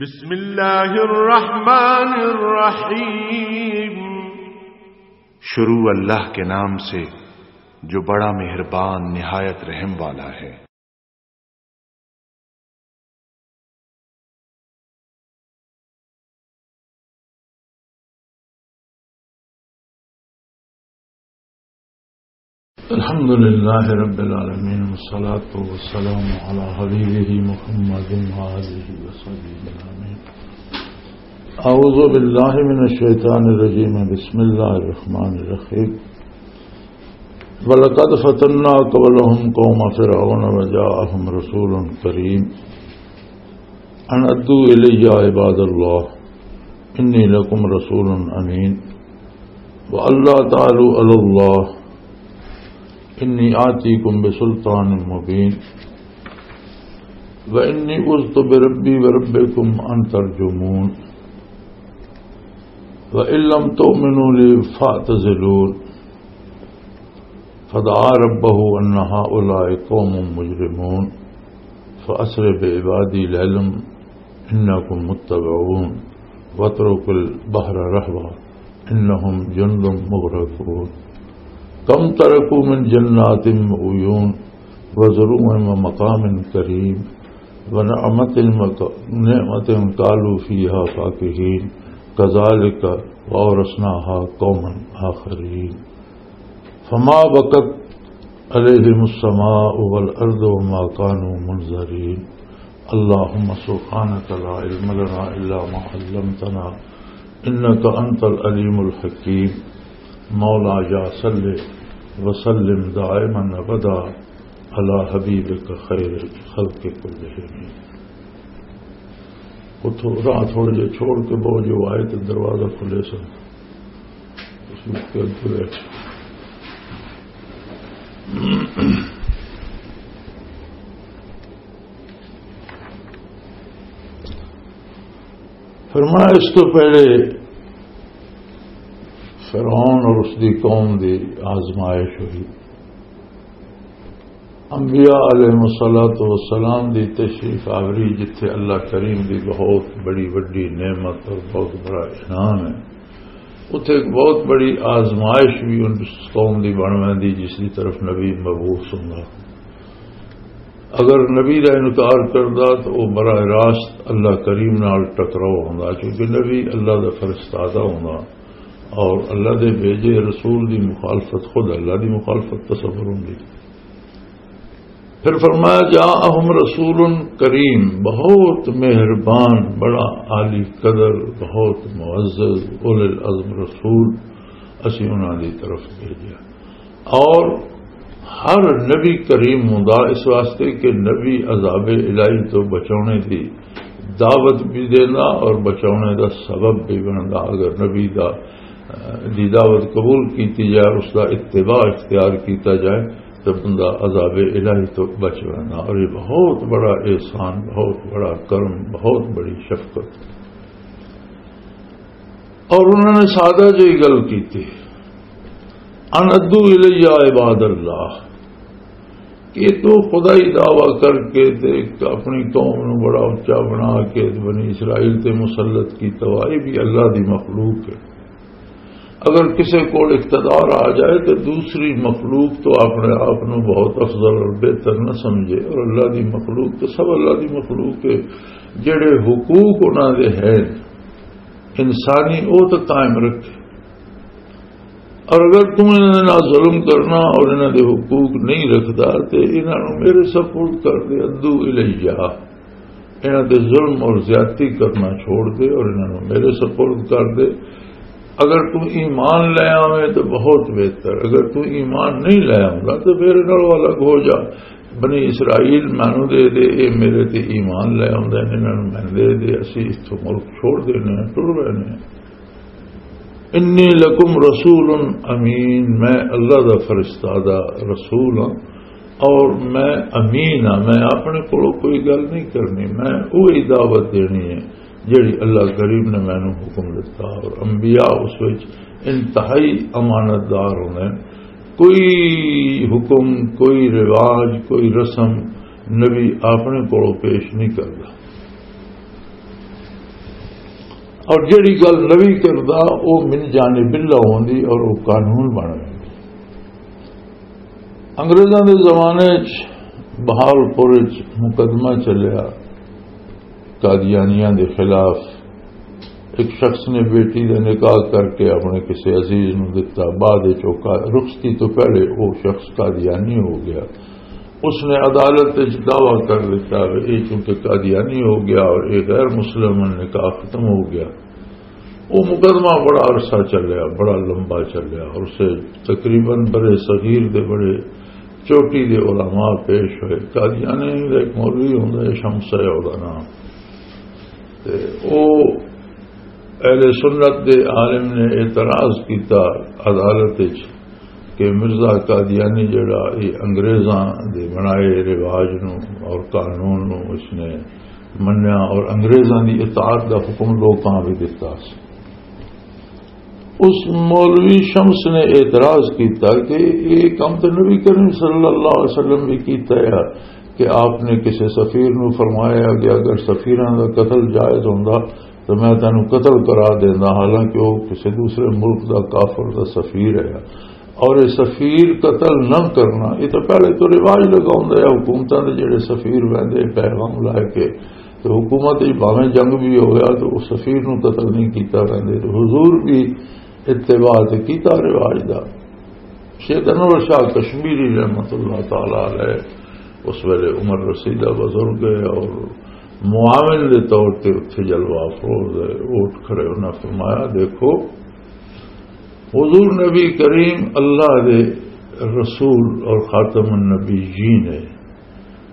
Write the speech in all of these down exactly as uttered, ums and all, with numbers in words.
بسم اللہ الرحمن الرحیم۔ شروع اللہ کے نام سے، جو بڑا مہربان، نہایت رحم والا ہے۔ الحمد لله رب العالمين، والصلاة والسلام على حبيبه محمد وآله وصحبه أجمعين. أعوذ بالله من الشيطان الرجيم. بسم الله الرحمن الرحيم. ولقد فتنا قبلهم قوم فرعون وجاءهم رسول كريم. أن أدوا إلي عباد الله، إني لكم رسول أمين، وألا تعلوا على الله، إني آتيكم بسلطان مبين، وإني عذت بربي وربكم أن ترجمون، وإن لم تؤمنوا لي فاعتزلون. فدعا ربه أن هؤلاء قوم مجرمون، فأسر بعبادي ليلا إنكم متبعون، واترك البحر رهوا إنهم جند مغرقون. كم تركوا من جنات وعيون، وزروع ومقام كريم، ونعمة مك-، نعمة كانوا فيها فاكهين، كذلك وأورثناها قوما آخرين. فما بكت عليهم السماء والأرض وما كانوا منظرين. اللهم سبحانك لا علم لنا إلا ما علمتنا إنك أنت العليم الحكيم. مولاي صل وسلم دائما أبدا على حبيبك خير الخلق كلهم. اتھوں راہ تھوڑے جے چھوڑ کے بہو جو آئے تے دروازہ کھلے سن۔ اس وقت کے اندر ہے۔ فرمایا، اس تو پہلے فرعون اور اس دی قوم دی آزمائش ہوئی۔ انبیاء علیہ الصلوۃ والسلام دی تشریف آوری، جتھے اللہ کریم دی بہت بڑی وڈی نعمت اور بہت بڑا انعام ہے، اتھے ایک بہت بڑی آزمائش بھی ان قوم دی بن ویندی، جس دی طرف نبی مبعوث ہوندا۔ اگر نبی دا انکار کردا تو وہ براہ راست اللہ کریم نال ٹکراؤ ہوندا، کیونکہ نبی اللہ دا فرستادہ ہوندا اور اللہ دے بھیجے رسول دی مخالفت خود اللہ دی مخالفت تصور ہوندی۔ پھر فرمایا، جاءہم رسول کریم، بہت مہربان، بڑا عالی قدر، بہت معزز، اولو العزم رسول اسی انہاں دی طرف بھیجیا۔ اور ہر نبی کریم ہوندا اس واسطے کہ نبی عذاب الہی تو بچاونے دی دعوت بھی دیندا اور بچاونے دا سبب بھی بندا۔ اگر نبی دا، دی دعوت قبول کیتی جائے، اس دا اتباع اختیار کیتا جائے، تو بندہ عذاب الہی تو بچ ویندا۔ اور یہ بہت بڑا احسان، بہت بڑا کرم، بہت بڑی شفقت۔ اور انہوں نے سادہ جہی گل کیتی، ان ادو الیہ عباد اللہ، کہ تو خدائی دعویٰ کر کے تے اپنی قوم نو بڑا اچا بنا کے تے بنی اسرائیل تے مسلط کیتا ہوا، یہ بھی اللہ دی مخلوق ہے۔ اگر کسے کول اقتدار آ جائے تو دوسری مخلوق تو اپنے آپ نو بہت افضل اور بہتر نہ سمجھے، اور اللہ دی مخلوق تو سب اللہ دی مخلوق ہے۔ جڑے حقوق انہاں دے ہیں انسانی، وہ تو قائم رکھے۔ اور اگر تم انہاں دے نال ظلم کرنا اور انہاں دے حقوق نہیں رکھدا تے انہاں نوں میرے سپرد کر دے، ادو الیہ، انہاں دے ظلم اور زیادتی کرنا چھوڑ دے اور انہاں نوں میرے سپرد کر دے۔ اگر تم ایمان لے آویں تو بہت بہتر، اگر تم ایمان نہیں لے آوندا تو میرے نال الگ ہو جا۔ بنی اسرائیل مینوں دے دے، اے میرے تے ایمان لے آوندے نے، انہاں نوں میں دے دے، اسی اتھوں ملک چھوڑ دینے ہیں، ٹر رہے ہیں۔ انی لکم رسول امین، میں اللہ دا فرستادہ رسول ہاں اور میں امین ہاں، میں اپنے کولوں کوئی گل نہیں کرنی، میں وہی دعوت دینی ہے جڑی اللہ کریم نے مینوں حکم دتا۔ اور انبیاء اس وچ انتہائی امانت دار ہوندے ہیں، کوئی حکم، کوئی رواج، کوئی رسم نبی اپنے کولوں پیش نہیں کردا۔ اور جڑی گل نبی کردا، او من جانب اللہ ہوندی اور او قانون بن ویندی۔ انگریزاں دے زمانے چ بہاولپور چ مقدمہ چلیا قادیانیاں دے خلاف۔ ایک شخص نے بیٹی دا نکاح کر کے اپنے کسی عزیز نو دتا، بعد وچ او قا-، رخصتی تو پہلے او شخص قادیانی ہو گیا۔ اس نے عدالت وچ دعویٰ کر دیتا کہ یہ چونکہ قادیانی ہو گیا اور یہ غیر مسلم نکاح ختم ہو گیا۔ وہ مقدمہ بڑا عرصہ چلیا، بڑا لمبا چلیا، اور اسے تقریباً برے صغیر دے بڑے چوٹی دے علماء پیش ہوئے۔ قادیانی دا ایک مولوی ہوندا ہے، شمس ہے اودا نام۔ تے او اہل سنت دے عالم نے اعتراض کیتا عدالت وچ کہ مرزا قادیانی جڑا یہ انگریزاں دے بنائے رواج نو اور قانون نو اس نے منیا اور انگریزاں دی اطاعت دا حکم لوکاں بھی دتا سی۔ اس مولوی شمس نے اعتراض کیتا کہ یہ کم تو نبی کریم صلی اللہ علیہ وسلم بھی کیتا ہے کہ آپ نے کسی سفیر نو فرمایا کہ اگر سفیراں دا قتل جائز ہوندا تو میں تینوں قتل کرا دیندا، حالانکہ وہ کسی دوسرے ملک دا کافر دا سفیر ہے۔ اور یہ سفیر قتل نہ کرنا، یہ تو پہلے تو رواج لگا ہوندا ہے۔ حکومتاں دے جڑے سفیر ویندے پیغام لے کے، تو حکومت وچ بھاویں جنگ بھی ہو گیا تو وہ سفیر نو قتل نہیں کیتا ویندے۔ تو حضور بھی اتباع تے کیتا رواج دا۔ شیخ انور شاہ کشمیری رحمت اللہ تعالی علیہ اس ویلے عمر رسیدہ بزرگ ہے اور معاون دے طور تے اتھے جلوہ افروز ہے، اٹھ کھڑے، انہاں فرمایا، دیکھو، حضور نبی کریم اللہ دے رسول اور خاتم النبیین ہے،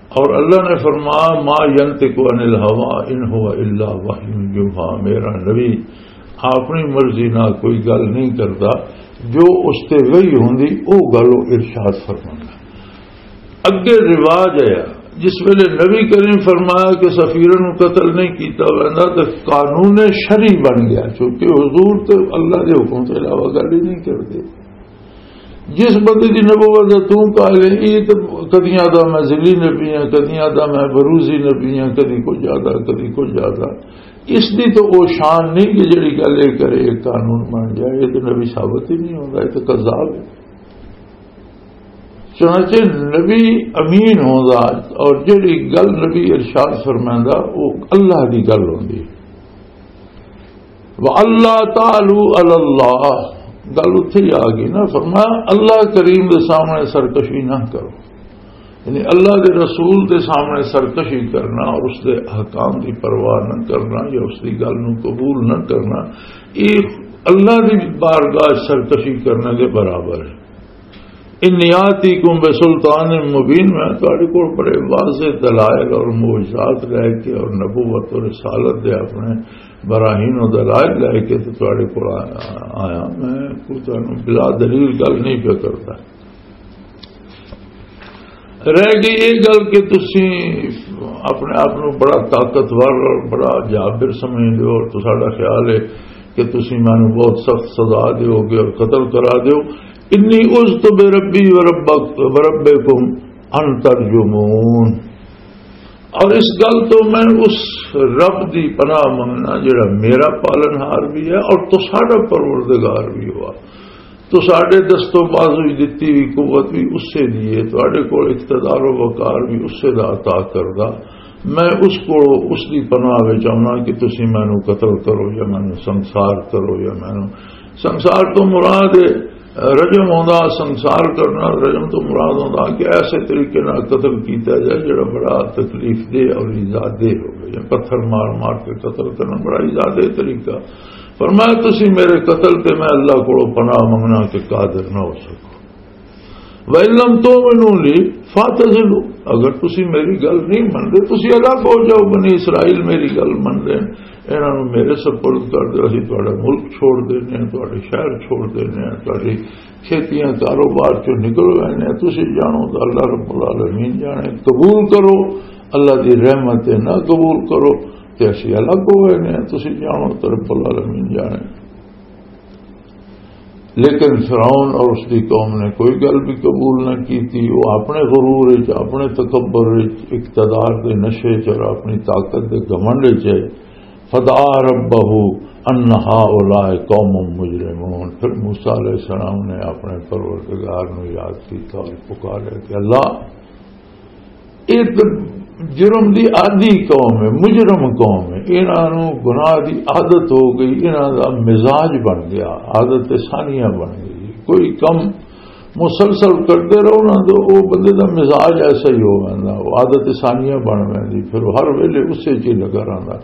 اور اللہ نے فرمایا، ما ینطق عن الہوی ان هو الا وحی یوحی، میرا نبی اپنی مرضی نال کوئی گل نہیں کردا، جو اس تے وحی ہوندی او گل او ارشاد فرماندا۔ اگے رواج آیا، جس ویلے نبی کریم فرمایا کہ سفیرن نوں قتل نہیں کیتا ویندا تے قانون شرعی بن گیا، کیونکہ حضور تے اللہ دے حکم تو علاوہ گل ہی نہیں کردے۔ جس بندے دی نبوت دا توں قائل ہے، یہ تے کدیاں دا میں ذلی نبی ہاں، کدیاں دا میں بروزی نبی ہاں، کدی کچھ زیادہ، کدی کچھ زیادہ۔ اس دی تو او شان نہیں کہ جڑی گل یہ کرے، یہ قانون بن جائے۔ یہ تو نبی ثابت ہی نہیں ہوندا، یہ تو کذاب ہے۔ چنانچہ نبی امین ہوندا اور جڑی گل نبی ارشاد فرمائندا، وہ اللہ دی گل ہوندی۔ وَأَلَّا تَعْلُوا عَلَى اللَّهِ، گل اتھے ہی آ گئی نا، فرمایا اللہ کریم دے سامنے سرکشی نہ کرو۔ یعنی اللہ دے رسول دے سامنے سرکشی کرنا اور اس دے احکام دی پرواہ نہ کرنا یا اس دی گل نو قبول نہ کرنا، یہ اللہ دی بارگاہ سرکشی کرنے دے برابر ہے۔ انی آتیکم بسلطان مبین، میں تہاڈے کول بڑے واضح دلائل اور معجزات لے کے اور نبوت اور رسالت دے اپنے براہین و دلائل لے کے تے تہاڈے کول آیا، میں کوئی تانوں بلا دلیل گل نہیں پیا کردا۔ رہ گئی یہ گل کہ تسی اپنے آپ نو بڑا طاقتور اور بڑا جابر سمجھدے ہو اور تساڈا خیال ہے کہ تسی مینوں بہت سخت سزا دیو گے اور قتل کرا دیو۔ انی عذت بربی وربک-، وربکم ان ترجمون۔ اور اس گل تو میں اس رب دی پناہ منگنا جڑا میرا پالن ہار بھی ہے اور تساڈا پروردگار بھی ہوا۔ تساڈے دست و بازو وچ دتی ہوئی قوت بھی اسے دی ہے، تہاڈے کول اقتدار و وقار بھی اسے دا عطا کردا۔ میں اس کو، اس دی پناہ وچ آونا کہ تسی مینوں قتل کرو یا مینوں سنسار کرو یا مینوں، سنسار تو مراد ہے رجم ہوندا، سنسار کرنا، رجم تو مراد ہوندا کہ ایسے طریقے نال قتل کیتا جائے جڑا بڑا تکلیف دہ اور ایذا دہ ہوے، یا پتھر مار مار کے قتل کرنا بڑا ایذا دہ طریقہ۔ فرمایا، تسی میرے قتل تے میں اللہ کولوں پناہ منگنا کہ قادر نہ ہو سکو۔ وَإِن لَّمْ تُؤْمِنُوا لِي فَاعْتَزِلُونِ، اگر تسی میری گل نہیں من دے، تسی الگ ہو جاؤ۔ بنی اسرائیل میری گل من دے، انہاں نوں میرے سپرد کر دے، اسی تہاڈا ملک چھوڑ دینے ہیں، تہاڈے شہر چھوڑ دینے ہیں، تہاڈی کھیتیاں کاروبار چوں نکل وینے ہیں۔ تسی جانو تو اللہ رب العالمین جانے۔ قبول کرو اللہ دی رحمت ہے، نہ قبول کرو تے اسی الگ ہو وینے ہیں۔ تسی جانو تو رب العالمین جانے۔ لیکن فرعون اور اس دی قوم نے کوئی گل بھی قبول نہ کی تھی۔ وہ اپنے غرور وچ، اپنے تکبر وچ، اقتدار دے نشے وچ اور اپنی طاقت دے گھمنڈ وچ ہے۔ فدعا ربه ان هؤلاء قوم مجرمون۔ پھر موسیٰ علیہ السلام نے اپنے پروردگار نو یاد کیتا اور پکارا کہ اللہ، یہ تو جرم دی عادی قوم ہے، مجرم قوم ہے، انہاں نو گناہ دی عادت ہو گئی، انہاں دا مزاج بن گیا، عادت ثانیہ بن گئی۔ کوئی کم مسلسل کرتے رہو نا، تو وہ بندے دا مزاج ایسا ہی ہو ویندا، وہ عادت ثانیہ بن ویندی، پھر وہ ہر ویلے اسے چ ہی لگا رہندا۔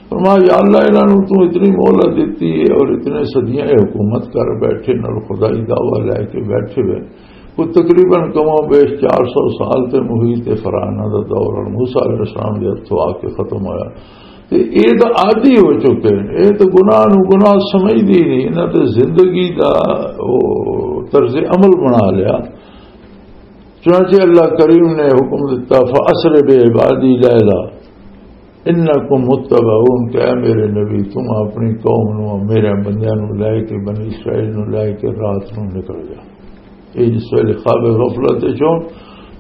فرمایا، یا اللہ، انہاں نوں تو اتنی مہلت دتی ہے اور اتنے صدیاں یہ حکومت کر بیٹھے، نال خدائی دعویٰ لے کے بیٹھے ہوئے، کوئی تقریباً کم و بیش چار سو سال تے محیط فرعونہ دا دور اور موسیٰ علیہ السلام دے ہتھوں آ کے ختم ہویا۔ تے اے تاں عادی ہو چکے نے، اے تاں گناہ نوں گناہ سمجھدے ہی نہیں، انہاں تے زندگی دا او طرز عمل بنا لیا۔ چنانچہ اللہ کریم نے حکم دیتا، فَأَسْرِ بِعِبَادِي لَيْلًا إِنَّكُمْ مُتَّبَعُونَ، کہ اے میرے نبی، تم اپنی قوم نوں، میرے بندیاں نوں لے کے، بنی اسرائیل نوں لے کے رات نوں نکل جا۔ یہ جس ویلے خواب غفلت وچ ہو،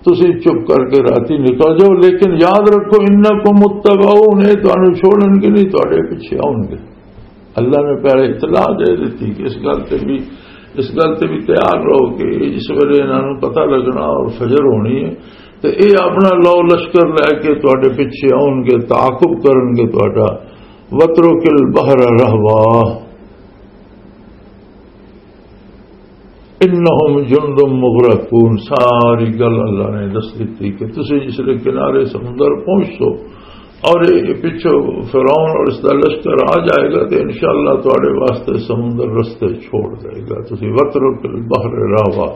تسی چپ کر کے راتی نکل جاؤ، لیکن یاد رکھو، انکم متبعون، یہ تانوں چھوڑن گے نہیں، تواڈے پیچھے آؤن گے۔ اللہ نے پہلے اطلاع دے دیتی کہ اس گل تے بھی، اس گل تے بھی تیار رہو کہ یہ جس ویلے انہاں نوں پتہ لگنا اور فجر ہونی ہے، تے یہ اپنا لو لشکر لے کے تواڈے پیچھے آؤن گے، تعاقب کرن گے تواڈا۔ وَاتْرُكِ الْبَحْرَ رَهْوًا، انہم جند مغرقون، ساری گل اللہ نے دس دتی کہ تسی جس لے کنارے سمندر پہنچ سو اور یہ پچھو فرعون اور اس دا لشکر آ جائے گا تو انشاءاللہ تواڈے واسطے سمندر رستے چھوڑ دے گا۔ تسی وترک البحر راوا،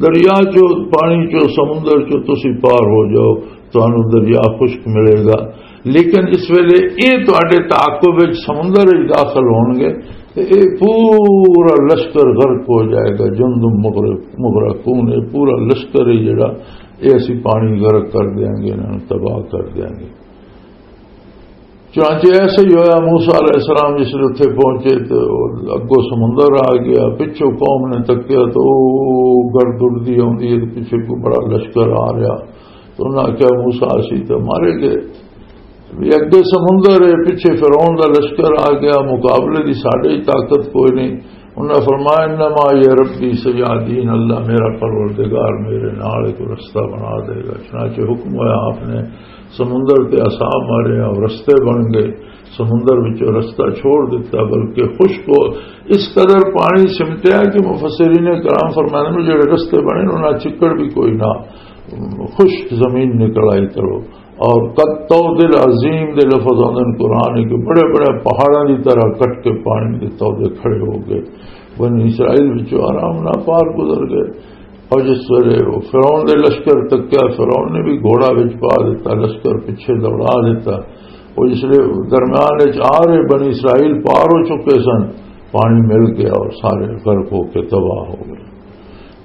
دریا چو، پانی چو، سمندر چو تسی پار ہو جاؤ، تانوں دریا خشک ملے گا۔ لیکن جس ویلے یہ تواڈے تعاقب وچ سمندر وچ داخل ہون گے، تے یہ پورا لشکر غرق ہو جائے گا۔ جند مغرق، مغرقون، یہ پورا لشکر ہے جڑا، یہ اسی پانی غرق کر دیاں گے، انہاں نوں تباہ کر دیاں گے۔ چنانچہ ایسا ہی ہویا، موسیٰ علیہ السلام جس ویلے اتھے پہنچے تو اگوں سمندر آ گیا، پچھوں قوم نے تکیا تو او گردردی آوندی ہے، پچھے کوئی بڑا لشکر آ رہا۔ تو انہاں آکھیا، "موسیٰ، اسی تے مارے گئے، وی اگے سمندر ہے، پچھے فرعون دا لشکر آ گیا، مقابلے دی ساڈے ہی طاقت کوئی نہیں۔" انہاں فرمایا، "انما یہ ربی سیہدین، اللہ میرا پروردگار میرے نال ایک رستہ بنا دے گا۔" چنانچہ حکم ہویا، آپ نے سمندر تے عصا مارے اور رستے بن گئے، سمندر وچوں رستہ چھوڑ دتا، بلکہ خشک ہو، اس قدر پانی سمٹیا کہ مفسرین کرام فرماندے نے، جڑے رستے بنے انہاں چکڑ بھی کوئی نہ، خشک زمین نکل آئی کرو۔ اور قد طود العظیم دے لفظ آندے نے قرآن کے، بڑے بڑے پہاڑاں دی طرح کٹ کے پانی دے تودے کھڑے ہو گئے۔ بنی اسرائیل وچوں آرام نال پار گزر گئے۔ اور جس ویلے وہ فرعون دے لشکر تکیا، فرعون نے بھی گھوڑا وچ پا دیتا، لشکر پیچھے دوڑا دیتا۔ وہ جس ویلے درمیان وچ آ رہے، بنی اسرائیل پار ہو چکے سن، پانی مل گیا اور سارے غرق ہو کے تباہ ہو گئے۔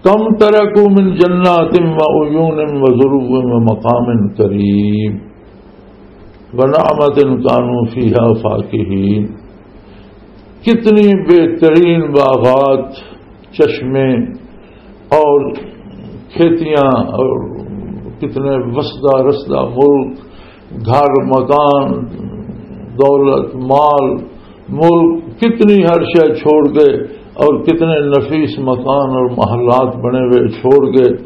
کم ترکوا من جنات و عیون و ظروف و مقام کریم و نعمت کانوا فیہا فاکہین۔ کتنی بہترین باغات، چشمے اور کھیتیاں اور کتنے وسدا رسدا ملک، گھر، مکان، دولت، مال، ملک، کتنی ہر شے چھوڑ گئے اور کتنے نفیس مکان اور محلات بنے ہوئے چھوڑ گئے۔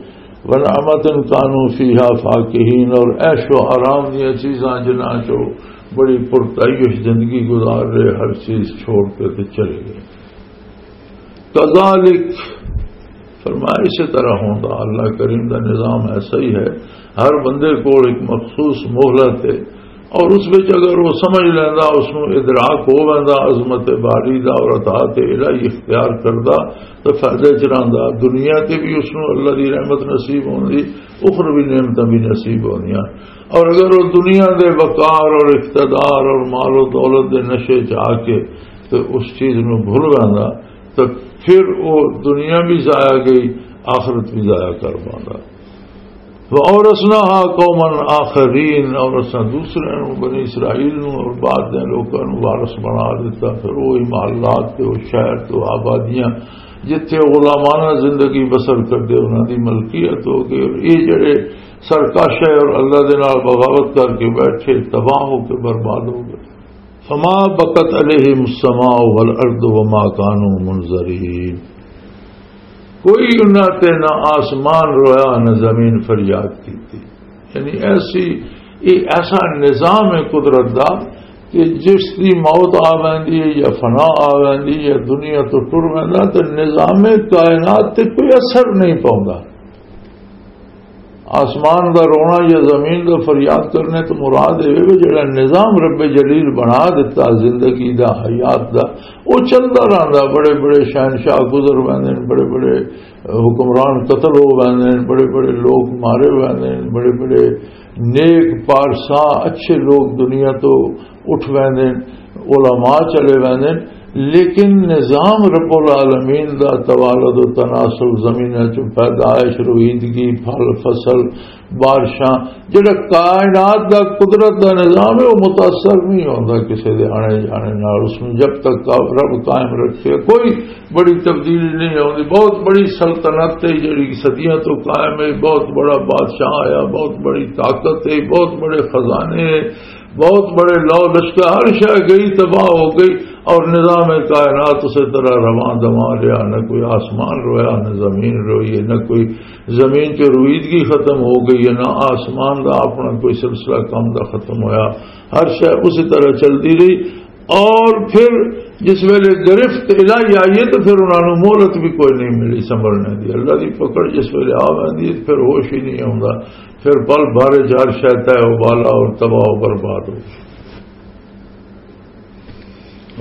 ونعمت کانوا فیہا فاکہین، اور عیش و آرام دیاں چیزاں جنہاں چو بڑی پرتعیش زندگی گزار رہے، ہر چیز چھوڑ کے تے چلے گئے۔ کذالک، فرمایا، اسی طرح ہوندا، اللہ کریم دا نظام ایسا ہی ہے۔ ہر بندے کول ایک مخصوص مہلت ہے، اور اس وچ اگر وہ سمجھ لیندا، اس نوں ادراک ہو ویندا عظمت باری دا اور اطاعت الہی اختیار کردا، تو فائدے چ رہندا۔ دنیا تے بھی اس نوں اللہ دی رحمت نصیب ہوندی، اخروی نعمتاں بھی نصیب ہوندیاں۔ اور اگر وہ دنیا دے وقار اور اقتدار اور مال و دولت دے نشے چ آ کے تو اس چیز نوں بھول ویندا، تو پھر وہ دنیا بھی ضائع گئی، آخرت بھی ضائع کر پاندا۔ وَأَوْرَثْنَاهَا قَوْمًا آخَرِينَ، اور اساں دوسرے نوں، بنی اسرائیل نوں اور بعد دے لوکاں نوں وارث بنا دیتا۔ پھر وہی محلات تے وہ شہر تے وہ آبادیاں جتھے غلامانہ زندگی بسر کردے، انہاں دی ملکیت ہو گئی۔ اور یہ جڑے سرکش ہے اور اللہ دے نال بغاوت کر کے بیٹھے، تباہ ہو کے برباد ہو گئے۔ فما بکت علیہم السماء والارض وما کانوا منظرین۔ کوئی انہاں تے نہ آسمان رویا، نہ زمین فریاد کیتی۔ یعنی ایسی، یہ ایسا نظام ہے قدرت دا کہ جس دی موت آ ویندی ہے یا فنا آ ویندی ہے یا دنیا تو ٹر ویندا، تے نظام کائنات تے کوئی اثر نہیں پوندا۔ آسمان دا رونا یا زمین دا فریاد کرنے تو مراد اے وے، جڑا نظام رب جلیل بنا دیتا زندگی دا، حیات دا، او چلدا رہندا۔ بڑے بڑے شہنشاہ گزر ویندے نے، بڑے بڑے حکمران قتل ہو ویندے نے، بڑے بڑے لوگ مارے ویندے نے، بڑے بڑے نیک پارسا اچھے لوگ دنیا تو اٹھ ویندے نے، علماء چلے ویندے نے، لیکن نظام رب العالمین دا توالد و تناسل، زمیناں چوں پیدائش، رویدگی، پھل فصل، بارشاں، جڑا کائنات دا، قدرت دا نظام ہے، وہ متاثر نہیں ہوندا کسی دے آنے جانے نال۔ اس میں جب تک رب قائم رکھے، کوئی بڑی تبدیلی نہیں آوندی۔ بہت بڑی سلطنت ہے جڑی صدیاں تو قائم ہے، بہت بڑا بادشاہ آیا، بہت بڑی طاقت ہے، بہت بڑے خزانے ہیں، بہت بڑے لو لشکر، ہر شے گئی، تباہ ہو گئی، اور نظام کائنات اسی طرح رواں دواں رہا۔ نہ کوئی آسمان رویا، نہ زمین روئی ہے، نہ کوئی زمین چ رویدگی ختم ہو گئی ہے، نہ آسمان دا اپنا کوئی سلسلہ کم دا ختم ہویا۔ ہر شے اسی طرح چلدی رہی۔ اور پھر جس ویلے گرفت الہی آئی ہے، تو پھر انہاں نوں مہلت بھی کوئی نہیں ملی سنبھلنے دی۔ اللہ دی پکڑ جس ویلے آ ویندی ہے، پھر ہوش ہی نہیں آوندا، پھر پل بھر چ ہر شے تہہ و بالا اور تباہ و برباد ہو۔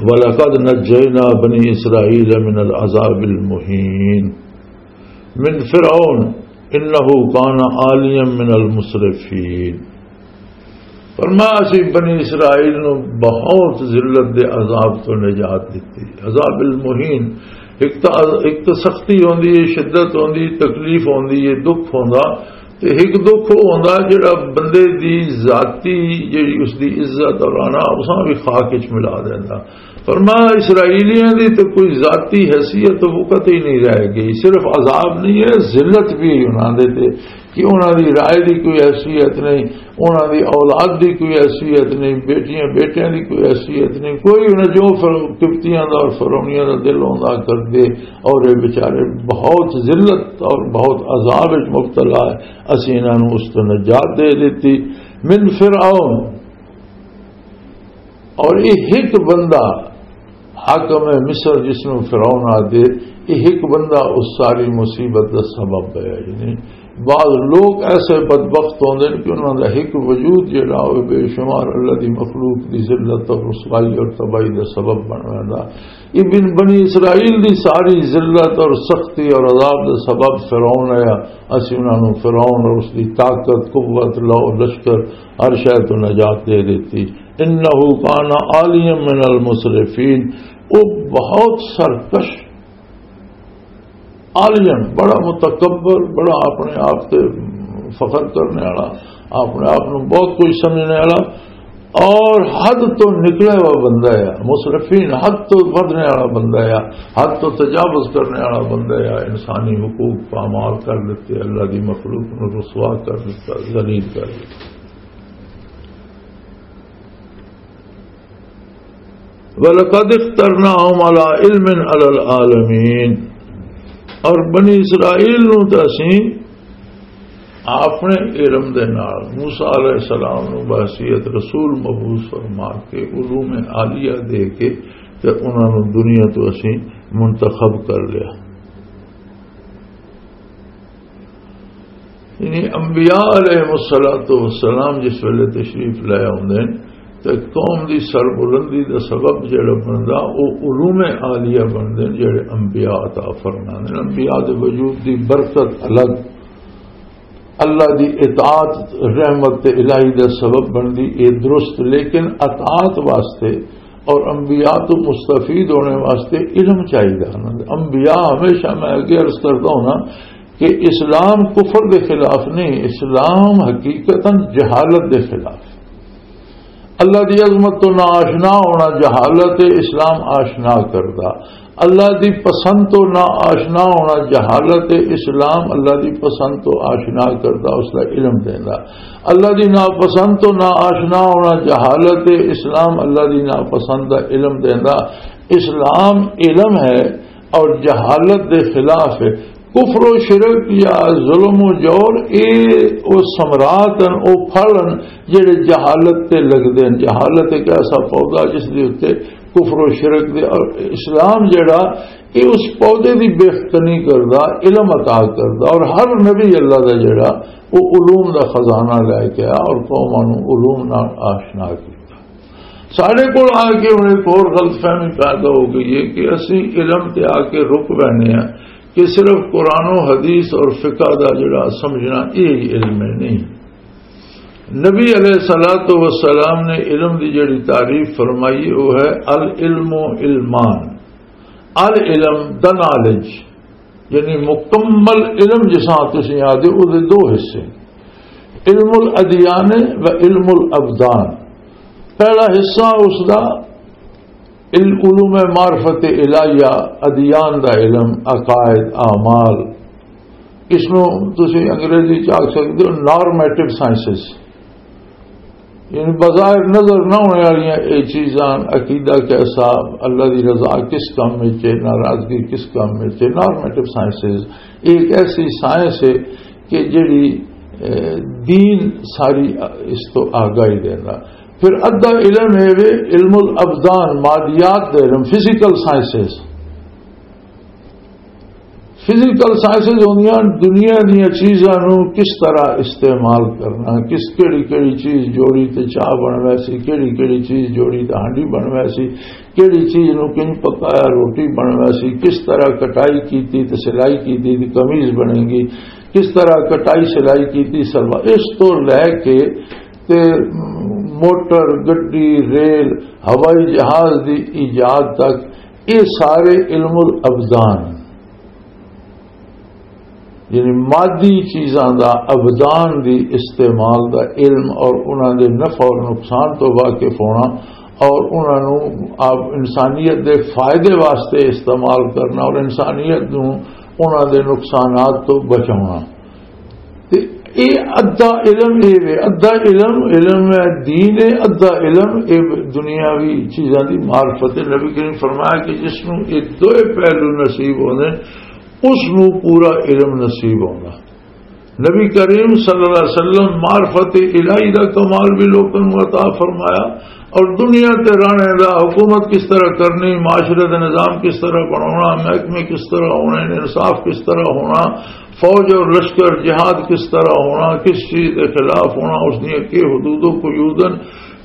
وَلَقَدْ نَجَّيْنَا بَنِي إِسْرَائِيلَ مِنَ الْعَذَابِ الْمُهِينِ، مِنْ فِرْعَوْنَ إِنَّهُ كَانَ عَالِيًا مِنَ الْمُسْرِفِينَ۔ فرمایا، اسی بنی اسرائیل نو بہت ذلت دے عذاب تو نجات دتی۔ عذاب المہین، ایک تا، ایک تا سختی ہوندی ہے، شدت ہوندی، تکلیف ہوندی ہے، دکھ ہوندا، تے ایک دکھ او ہوندا جڑا بندے دی ذاتی، جڑی اس دی عزت اور انا، اساں بھی خاک وچ ملا دیندا۔ فرمایا، اسرائیلیاں دی تے کوئی ذاتی حیثیت تو وقت ہی نہیں رہ گئی، صرف عذاب نہیں ہے، ذلت بھی انہاں دے تے کہ انہاں دی رائے دی کوئی حیثیت نہیں، انہاں دی اولاد دی کوئی حیثیت نہیں، بیٹیاں بیٹیاں دی کوئی حیثیت نہیں، کوئی انہاں جو فر-، قبطیاں دا اور فرعونیاں دا دل ہوندا کر دے، اور یہ بیچارے بہت ذلت اور بہت عذاب وچ مبتلا ہے۔ اسی انہاں نوں اس تو نجات دے دتی۔ من فرعون، اور یہ ایک بندہ حاکم مصر جس نوں فرعون آدھے، یہ ایک بندہ اس ساری مصیبت دا سبب ہے۔ یعنی بعض لوگ ایسے بدبخت ہوندے نے کہ انہاں دا ایک وجود جڑا ہوئے بے شمار اللہ دی مخلوق دی ذلت اور رسوائی اور تباہی دا سبب بن ویندا۔ ابن بنی اسرائیل دی ساری ذلت اور سختی اور عذاب دا سبب فرعون ہے۔ اسی انہاں نوں فرعون اور اس دی طاقت، قوت، لو، لشکر، ہر شے تو نجات دے دیتی۔ انہ کان عالیا من المسرفین، وہ بہت سرکش، عالین، بڑا متکبر، بڑا اپنے آپ تے فخر کرنے والا، اپنے آپ نوں بہت کچھ سمجھنے والا، اور حد تو نکلا ہوا بندہ ہے، مسرفین، حد تو ودھنے والا بندہ ہے، حد تو تجاوز کرنے والا بندہ ہے، انسانی حقوق پامال کر دیتے، اللہ دی مخلوق نوں رسوا کر دیتا، ذلیل کر دیتا۔ وَلَقَدِ اخْتَرْنَاهُمْ عَلَىٰ عِلْمٍ عَلَى الْعَالَمِينَ، اور بنی اسرائیل نوں تے اسیں اپنے علم دے نال موسیٰ علیہ السلام نوں بحیثیت رسول مبعوث فرما کے علوم عالیہ دے کے تے انہاں نوں دنیا تو اسیں منتخب کر لیا۔ یعنی انبیاء علیہ الصلوۃ والسلام جس ویلے تشریف لے آوندے نے تے قوم دی سربلندی دا سبب جڑا بندا، او علوم عالیہ بندے نے جڑے انبیاء عطا فرماندے نے۔ انبیاء دے وجود دی برکت الگ، اللہ دی اطاعت رحمت تے الہی دا سبب بندی، اے درست، لیکن اطاعت واسطے اور انبیاء تو مستفید ہونے واسطے علم چاہیے۔ انبیاء ہمیشہ، میں اگے عرض کرتا ہوں نا، کہ اسلام کفر دے خلاف نہیں، اسلام حقیقتاً جہالت دے خلاف۔ اللہ دی عظمت تو ناآشنا ہونا جہالت ہے، اسلام آشنا کردا۔ اللہ دی پسند تو نا آشنا ہونا جہالت ہے، اسلام اللہ دی پسند تو آشنا کردا، اس دا علم دیندا۔ اللہ دی ناپسند تو نا آشنا ہونا جہالت ہے، اسلام اللہ دی ناپسند دا علم دیندا۔ اسلام علم ہے اور جہالت دے خلاف ہے۔ کفر و شرک یا ظلم و جور، اے او ثمرات ہن، او پھل ہن جڑے جہالت تے لگدے ہن۔ جہالت ایک ایسا پودا جس دے اُتے کفر و شرک دے، اور اسلام جڑا، اے اس پودے دی بہتنی کردا، علم عطا کردا، اور ہر نبی اللہ دا جڑا، او علوم دا خزانہ لے کے آیا اور قوماں نوں علوم نال آشنا کیتا۔ ساڈے کول آ کے ہن ایک ہور غلط فہمی پیدا ہو گئی ہے کہ اسی علم تے آ کے رک پہنے ہیں کہ صرف قرآن و حدیث اور فقہ دا جڑا سمجھنا، یہ علم ہے نہیں۔ نبی علیہ الصلوۃ والسلام نے علم دی جڑی تعریف فرمائی، وہ ہے العلم علمان۔ العلم، دا نالج، یعنی مکمل علم جساں تسی آدھے، او دے دو حصے، علم الادیان و علم الابدان۔ پہلا حصہ اس دا علم، علوم معرفت الہیہ، ادیان دا علم، عقائد، اعمال، اس نو تسی انگریزی چ آکھ سکدے ہو نارمیٹو سائنسز، یعنی بظاہر نظر نہ ہونے والیاں اے چیزاں، عقیدہ کیسا، اللہ دی رضا کس کام وچ ہے، ناراضگی کس کام وچ ہے، نارمیٹو سائنسز۔ یہ ایک ایسی سائنس ہے کہ جڑی، اے، دین ساری اس تو آگاہی دینا۔ پھر ادھا علم ہے وے علم الابدان، مادیات دے علم، فزیکل سائنسز۔ فزیکل سائنسز ہوندیاں دنیا دیاں چیزاں نوں کس طرح استعمال کرنا، کس، کیڑی کیڑی چیز جوڑی تے چاہ بن ویسی، کیڑی کیڑی چیز جوڑی تے ہانڈی بن ویسی، کیڑی چیز نوں کنج پکایا روٹی بن ویسی، کس طرح کٹائی کیتی تے سلائی کیتی تے قمیض بنے گی، کس طرح کٹائی سلائی کیتی سلوار، اس تو لے کے تے موٹر، گڈی، ریل، ہوائی جہاز دی ایجاد تک، یہ سارے علم الابدان، یعنی مادی چیزاں دا، ابدان دی استعمال دا علم اور انہاں دے نفع اور نقصان تو واقف ہونا اور انہاں نوں آپ انسانیت دے فائدے واسطے استعمال کرنا اور انسانیت نوں انہاں دے نقصانات تو بچاؤنا۔ تے اے ادھا علم اے وے، ادھا علم، علم ہے دین ہے، ادھا علم اے دنیاوی چیزاں دی معرفت ہے۔ نبی کریم فرمایا کہ جس نوں اے دوئے پہلو نصیب ہوندے، اس نوں پورا علم نصیب ہوندا۔ نبی کریم صلی اللہ علیہ وسلم معرفت الہی دا کمال بھی لوکاں نوں عطا فرمایا، اور دنیا تے رہنے دا، حکومت کس طرح کرنی، معاشرے دا نظام کس طرح بناونا، محکمے کس طرح ہونے، انصاف کس طرح ہونا، فوج اور لشکر جہاد کس طرح ہونا، کس چیز دے خلاف ہونا، اس دیاں کی حدود و قیود ہن،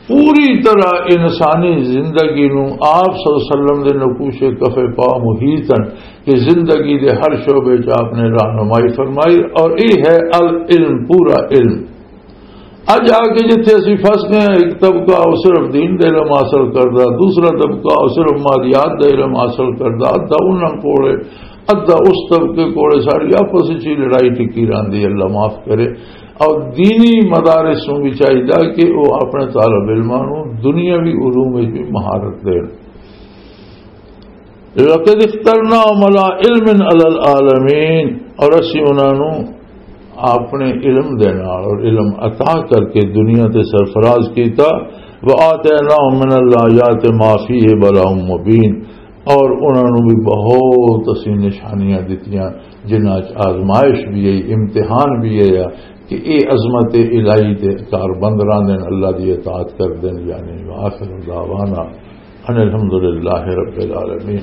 پوری طرح انسانی زندگی نو آپ صلی اللہ علیہ وسلم دے نقوش کف پا محیط ہن کہ زندگی دے ہر شعبے چ آپ نے رہنمائی فرمائی، اور یہ ہے العلم، پورا علم۔ اج آ کے جتھے اسی پھس گئے ہیں، ایک طبقہ وہ صرف دین دا علم حاصل کردا، دوسرا طبقہ وہ صرف مادیات دا علم حاصل کردا، ادھا انہاں کولے، ادھا اس طبقے کولے، ساری آپس وچ ہی لڑائی ٹکی رہندی، اللہ معاف کرے۔ اور دینی مدارس نوں بھی چاہیدا کہ وہ اپنے طالب علماں نوں دنیاوی علوم وچ بھی مہارت دین۔ لقد اخترناهم على علم على العالمین، اور اسی انہاں نوں اپنے علم دے نال اور علم عطا کر کے دنیا تے سرفراز کیتا۔ وآتیناهم من الآیات ما فیہ بلاء مبین، اور انہاں نوں بھی بہت اسی نشانیاں دتیاں جنہاں چ آزمائش بھی ہے، امتحان بھی ہے کہ اے عظمت الہی دے کار بند رہندے نے، اللہ دی اطاعت کردے نے، یعنی وآخر دعوانا ان الحمدللہ رب العالمین۔